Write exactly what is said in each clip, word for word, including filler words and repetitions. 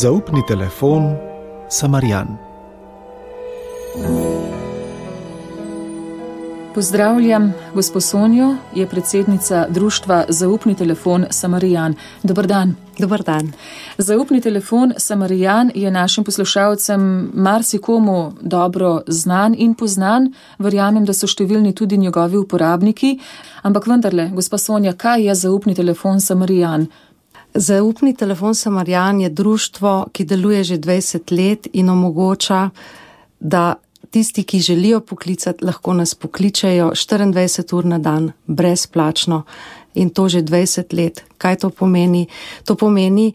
Zaupni telefon Samarijan. Pozdravljam, gospo Sonjo, je predsednica društva Zaupni telefon Samarijan. Dobar dan. Dobar dan. Zaupni telefon Samarijan je našim poslušalcem marsikomu dobro znan in poznan. Verjamem, da so številni tudi njegovi uporabniki. Ampak vendarle, gospa Sonja, kaj je Zaupni telefon Samarijan? Zaupni telefon Samarijan je društvo, ki deluje že dvajset let in omogoča, da tisti, ki želijo poklicati, lahko nas pokličejo štiriindvajset ur na dan, brezplačno, in to že dvajset let. Kaj to pomeni? To pomeni,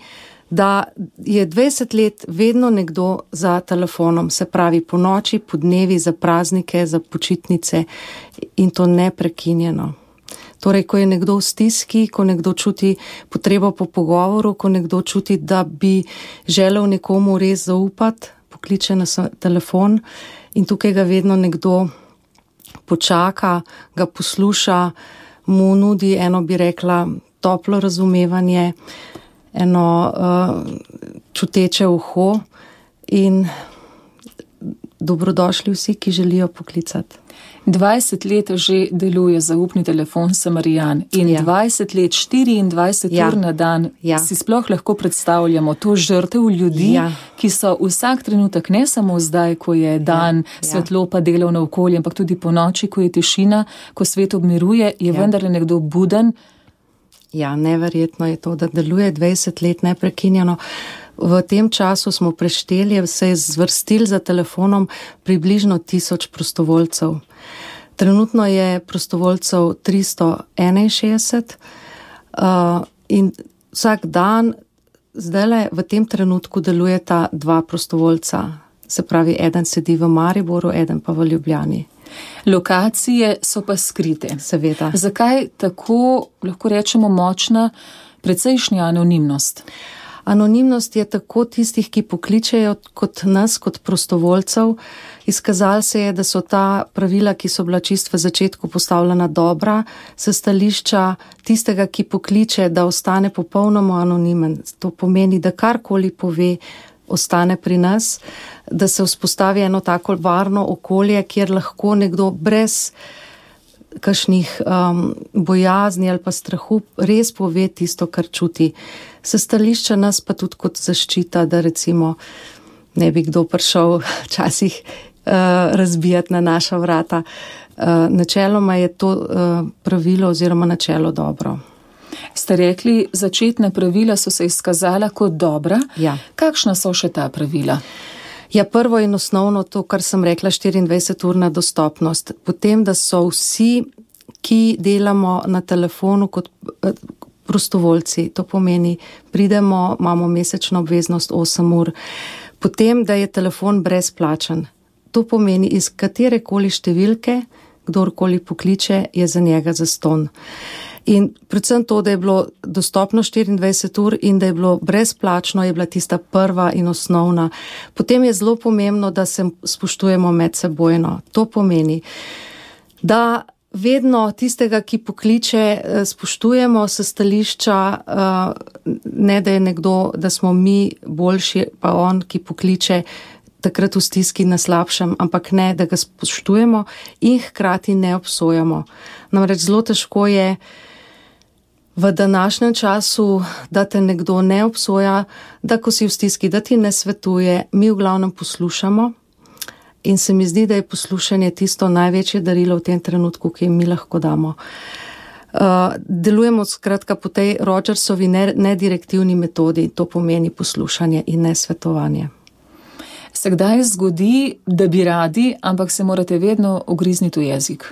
da je dvajset let vedno nekdo za telefonom, se pravi po noči, po dnevi, za praznike, za počitnice, in to neprekinjeno. Torej, ko je nekdo v stiski, ko nekdo čuti potrebo po pogovoru, ko nekdo čuti, da bi želel nekomu res zaupati, pokliče na telefon. In tukaj ga vedno nekdo počaka, ga posluša, mu nudi eno, bi rekla, toplo razumevanje, eno uh, čuteče uho in dobrodošli vsi, ki želijo poklicati. dvajset let že deluje Zaupni telefon Samarijan in ja. dvajset let, štiriindvajset ja. ur na dan. Ja. Si sploh lahko predstavljamo to žrtev ljudi, ja. ki so vsak trenutek, ne samo zdaj, ko je dan, ja. svetlo pa delovno okolje, ampak tudi po noči, ko je tišina, ko svet obmiruje, je ja. vendarle nekdo buden. Ja, neverjetno je to, da deluje dvajset let neprekinjeno. V tem času smo prešteli, se je zvrstil za telefonom približno tisoč prostovoljcev. Trenutno je prostovoljcev tristo enainšestdeset uh, in vsak dan, zdajle v tem trenutku delujeta dva prostovoljca. Se pravi, eden sedi v Mariboru, eden pa v Ljubljani. Lokacije so pa skrite. Seveda. Zakaj tako, lahko rečemo, močna, precejšnja anonimnost? Anonimnost je tako tistih, ki pokličejo, kot nas, kot prostovoljcev. Izkazalo se je, da so ta pravila, ki so bila čist v začetku postavljena dobra, s stališča tistega, ki pokliče, da ostane popolnoma anonimen. To pomeni, da karkoli pove, ostane pri nas, da se vzpostavi eno tako varno okolje, kjer lahko nekdo brez kakšnih um, bojazni ali pa strahu res pove tisto, kar čuti. Se stališča nas pa tudi kot zaščita, da recimo ne bi kdo prišel včasih uh, razbijati na naša vrata. Uh, načeloma je to uh, pravilo oziroma načelo dobro. Ste rekli, začetna pravila so se izkazala kot dobra. Ja. Kakšna so še ta pravila? Ja, prvo in osnovno to, kar sem rekla, štiriindvajset urna dostopnost. Potem, da so vsi, ki delamo na telefonu kot prostovoljci, to pomeni, pridemo, imamo mesečno obveznost osem ur. Potem, da je telefon brezplačen. To pomeni, iz katerekoli številke, kdorkoli pokliče, je za njega zastonj. In predvsem to, da je bilo dostopno štiriindvajset ur in da je bilo brezplačno, je bila tista prva in osnovna. Potem je zelo pomembno, da se spoštujemo medsebojno. To pomeni, da vedno tistega, ki pokliče, spoštujemo s stališča, ne da je nekdo, da smo mi boljši, pa on, ki pokliče, takrat v stiski na slabšem, ampak ne, da ga spoštujemo in hkrati ne obsojamo. Namreč zelo težko je v današnjem času, da te nekdo ne obsoja, da ko si v stiski, da ti ne svetuje, mi v glavnem poslušamo in se mi zdi, da je poslušanje tisto največje darilo v tem trenutku, ki jim mi lahko damo. Uh, delujemo skratka po tej Rogersovi nedirektivni metodi, to pomeni poslušanje in ne svetovanje. Se kdaj zgodi, da bi radi, ampak se morate vedno ugrizniti v jezik?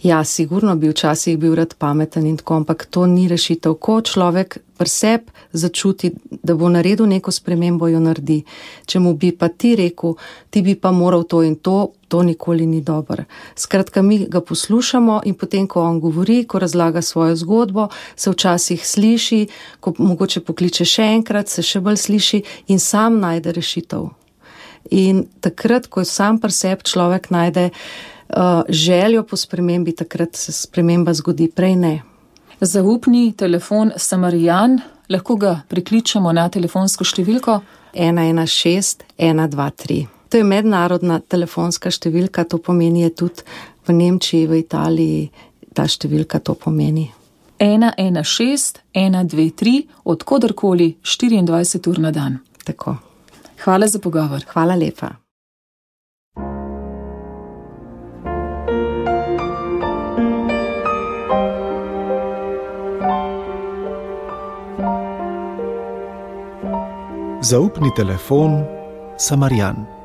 Ja, sigurno bi včasih bil rad pameten in tako, ampak to ni rešitev. Ko človek pri sebi začuti, da bo naredil neko spremembo, jo naredi. Če mu bi pa ti rekel, ti bi pa moral to in to, to nikoli ni dobro. Skratka, mi ga poslušamo in potem, ko on govori, ko razlaga svojo zgodbo, se včasih sliši, ko mogoče pokliče še enkrat, se še bolj sliši in sam najde rešitev. In takrat, ko sam pri sebi človek najde uh, željo po spremembi, takrat se sprememba zgodi, prej ne. Zaupni telefon Samarijan, lahko ga prikličemo na telefonsko številko ena ena šest ena dva tri. To je mednarodna telefonska številka, to pomeni je tudi v Nemčiji, v Italiji, ta številka to pomeni. ena ena šest ena dve tri, od koderkoli štiriindvajset ur na dan. Tako. Hvala za pogovor. Hvala lepa. Zaupni telefon Samarijan.